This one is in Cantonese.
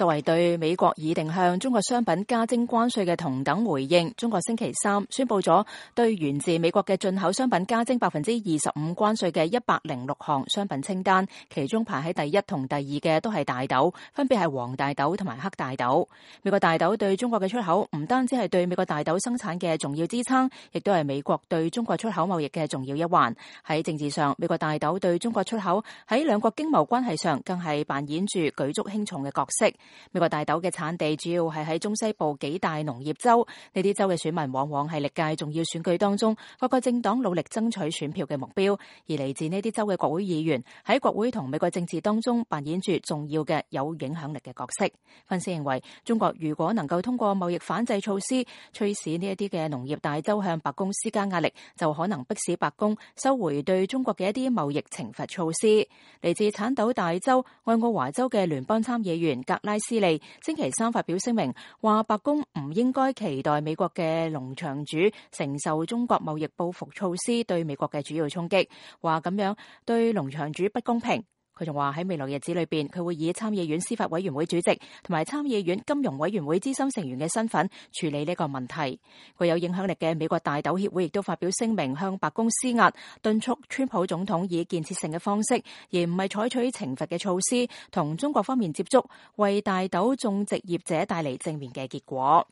作為對美國擬定向中國商品加徵關稅嘅同等回應，中國星期三宣布咗對源自美國嘅進口商品加徵25%關稅嘅106項商品清單，其中排喺第一同第二嘅都係大豆，分別係黃大豆同埋黑大豆。美國大豆對中國嘅出口唔單止係對美國大豆生產嘅重要支撐，亦都係美國對中國出口貿易嘅重要一環。喺政治上，美國大豆對中國出口喺兩國經貿關係上更係扮演住舉足輕重嘅角色。美國大豆嘅產地主要係喺中西部幾大農業州，呢啲州嘅選民往往係歷屆重要選舉當中各個政黨努力爭取選票嘅目標，而嚟自呢啲州嘅國會議員喺國會同美國政治當中扮演住重要嘅有影響力嘅角色。分析認為，中國如果能夠通過貿易反制措施驅使呢一啲嘅農業大州向白宮施加壓力，就可能迫使白宮收回對中國嘅一啲貿易懲罰措施。嚟自產豆大州愛奧華州嘅聯邦參議員格拉斯利星期三發表聲明，話白宮唔應該期待美國嘅農場主承受中國貿易報復措施對美國嘅主要衝擊，話咁樣對農場主不公平。佢仲話喺未來日子裏邊，佢會以參議院司法委員會主席同埋參議院金融委員會資深成員嘅身份處理呢個問題。具有影響力嘅美國大豆協會亦都發表聲明，向白宮施壓，敦促川普總統以建設性嘅方式，而唔係採取懲罰嘅措施，同中國方面接觸，為大豆種植業者帶嚟正面嘅結果。